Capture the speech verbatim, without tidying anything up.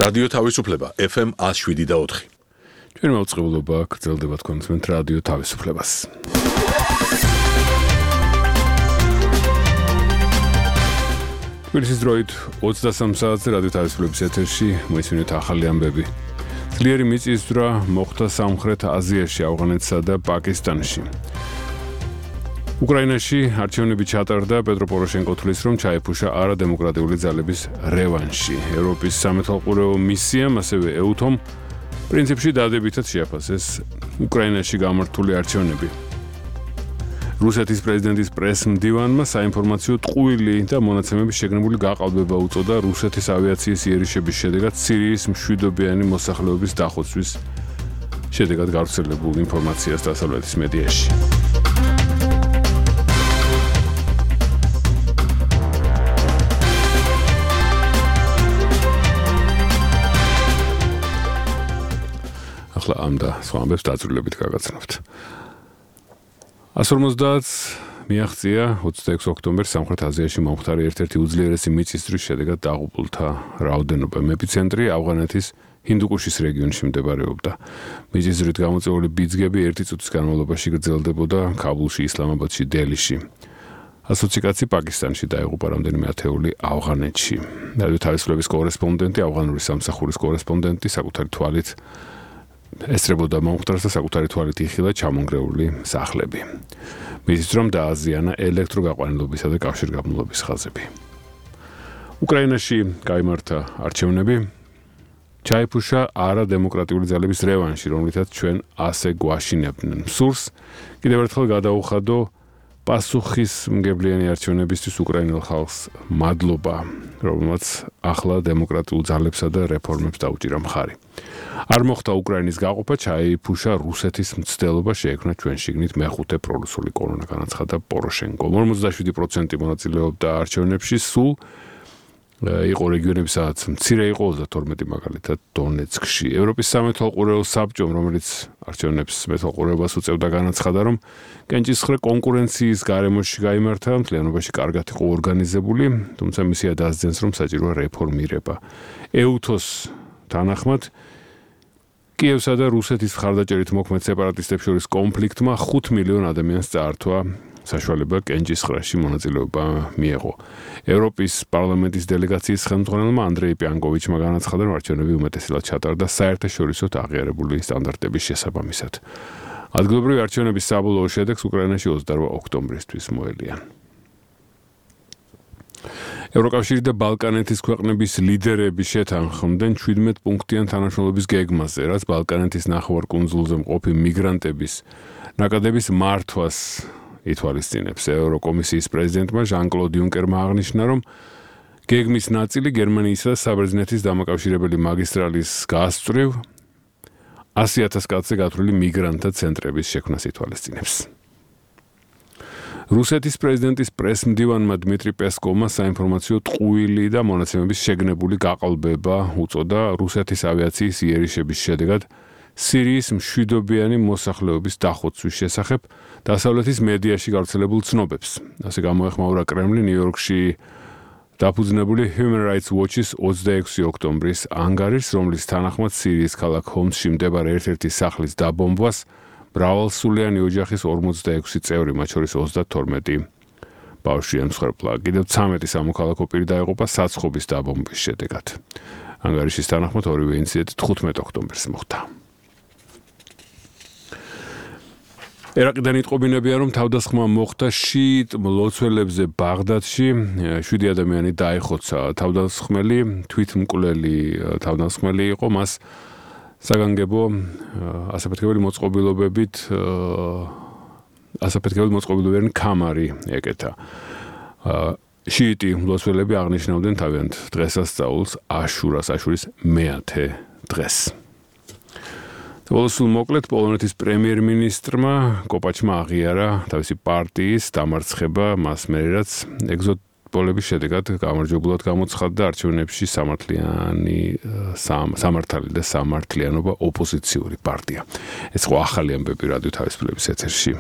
რადიო თავისუფლება ეფ ემ one oh seven და four. ჩვენ მოწყობილობა გრძელდება თქვენს რადიო თავისუფლებას. თბილისის დროით ოცდასამ საათზე რადიო თავისუფლების ეთერში მოისმინეთ ახალი ამბები. ძლიერი მიწისძვრა მოხდა სამხრეთ აზიაში, ავღანეთსა და პაკისტანში. უკრაინაში არჩევნები ჩატარდა, პეტრო პოროშენკო თვლის, რომ ჩაეფუშა არადემოკრატიული ძალების რევანში. ევროპის სამეთვალყურეო მისიამ, ასევე ეუთომ, პრინციპში დადებითად შეაფასეს უკრაინაში გამართული არჩევნები. რუსეთის პრეზიდენტის პრეს-მდივანმა საინფორმაციო ტყუილი და მონაცემების შეგნებული გაყალბება უწოდა რუსეთის ავიაციის იერიშების შედეგად სირიის მშვიდობიანი მოსახლეობის დახოცვის შედეგად გავრცელებულ ინფორმაციას დასავლეთის მედიაში. ახლა ამ და სხვა ამბებს დაძრულებით გაგაცნობთ. one forty მიაღწია ოცდაექვსი ოქტომბერს სამხრეთ აზიაში მომხდარი ერთ-ერთი უძლიერესი მიწისძვრის შედეგად დაღუპულთა რაოდენობა. ეპიცენტრი ავღანეთის ჰინდუკუშის რეგიონში მდებარეობდა. მიწისძვრით გამოწვეული ბიძგები ერთი წუთის განმავლობაში გრძელდებოდა ქაბულში, ისლამაბადში, დელიში. ასოცი კაცი პაკისტანში დაიღუპა, რამდენიმე ათეული ავღანეთში. რადიო თავისუფლების კორესპონდენტი, ავღანური სამსახურის კორესპონდენტი საკუთარი თვალით ესწრებოდა მომხდარს და საკუთარი თვალით იხილა ჩამონგრეული სახლები. მისთვის რომ დააზიანა ელექტროგაყვანილობისა და კავშირგაბმულობის ხაზები. უკრაინაში გაიმართა არჩევნები, ჩაეფუშა არადემოკრატიული ძალების რევანში, რომლითაც ჩვენ ასე გვაშინებდნენ. სურს კიდევ ერთხელ გადაუხადო პასუხისმგებლიანი არჩევნებისთვის უკრაინელ ხალხს მადლობა, რომელმაც ახლა დემოკრატიულ ძალებსა და რეფორმებს დაუჭირა მხარი. არ მოხდა უკრაინის გაყოფა, ჩაეიფუშა რუსეთის მცდელობა, შეექმნა ჩვენ შიგნით მეხუთე პრორუსული კოლონა, განაცხადა პოროშენკო. ორმოცდაშვიდი პროცენტი მონაწილეობდა არჩევნებში, სულ იყო რეგიონები, სადაც მცირე იყო, ოცდათორმეტი მაგალითად დონეცკში. ევროპის სამეთვალყურეო საბჭომ, რომელიც არჩევნებს მეთვალყურეობას უწევდა, განაცხადა, რომ კენჭისხრე კონკურენციის გარემოში გაიმართა, მთლიანობაში კარგად იყო ორგანიზებული, თუმცა მისია დასძენს, რომ საჭიროა რეფორმირება. ეუთოს თანახმად კიევსა და რუსეთის მხარდაჭერით მოქმედ სეპარატისტებს შორის კონფლიქტმა ხუთ მილიონ ადამიანს წაართვა საშუალება კენჭისხრაში მონაწილეობა მიეღო. ევროპის პარლამენტის დელეგაციის ხელმძღვანელმა ანდრეი პიანკოვიჩმა განაცხადა, რომ არჩევნები უმეტესად ჩატარდა საერთაშორისოდ აღიარებული სტანდარტების შესაბამისად. ადგილობრივი არჩევნების საბოლოო შედეგს უკრაინაში ოცდაორ ოქტომბრისთვის მოელიან. ევროკავშირი და ბალკანეთის ქვეყნების ლიდერები შეთანხმდნენ შვიდმეტ პუნქტიან თანამშრომლობის გეგმაზე, რაც ბალკანეთის ნახევარკუნძულზე მყოფი მიგრანტების ნაკადების მართვას ითვალისწინებს. ევროკომისიის პრეზიდენტმა ჟან-კლოდ იუნკერმა აღნიშნა, რომ გეგმის ნაწილი გერმანიისა და საბერძნეთის დამაკავშირებელი მაგისტრალის გასწვრივ ასი ათას კაცზე გათვლილი მიგრანტთა ცენტრების შექმნას ითვალისწინებს. რუსეთის პრეზიდენტის პრეს-მდივანმა დმიტრი პესკოვმა საინფორმაციო ტყუილი და მონაცემების შეგნებული გაყალბება უწოდა რუსეთის ავიაციის იერიშების შედეგად სირიის მშვიდობიანი მოსახლეობის დახოცვის შესახებ დასავლეთის მედიაში გავრცელებულ ცნობებს. ასე გამოეხმაურა კრემლი ნიუ-იორკში დაფუძნებული Human Rights Watch-ის ოცდაექვსი ოქტომბრის ანგარიშს, რომლის თანახმად სირიის ქალაქ ჰომსში მდებარე ერთ-ერთი სახლის დაბომბვას მრავალსულიანი ოჯახის ორმოცდაექვსი წევრი, მათ შორის ოცდათორმეტი ბავშვი ემსხვერპლა. კიდევ ცამეტი სამოქალაქო პირი დაიღუპა საცხობის დაბომბვის შედეგად. ანგარიშის თანახმად ორივე ინციდენტი თხუთმეტ ოქტომბერს მოხდა. ერაყიდან იტყობინებია, რომ თავდასხმა მოხდა შიიტ მლოცველებზე ბაღდადში, შვიდი ადამიანი დაიხოცა. თავდასხმელი თვითმკვლელი თავდასხმელი იყო, მას საგანგებო ასაფეთქებელი მოწყობილობებით ასაფეთქებელი მოწყობილობიანი კამარი ეკეთა. შიიტი მლოცველები აღნიშნავდნენ თავიანთ დღესასწაულს აშურას, აშურის მეათე დღეს. ბოლოს მოკლედ პოლონეთის პრემიერ-მინისტრმა კოპაჩმა აღიარა თავისი პარტიის დამარცხება, მას მერე რაც ეგზოტ-პოლების შედეგად გამარჯვებულად გამოცხადდა არჩევნებში სამართლიანი სამართალი და სამართლიანობა ოპოზიციური პარტია. ეს ხო ახალი ამბები რადიო თავისუფლების ეთერში.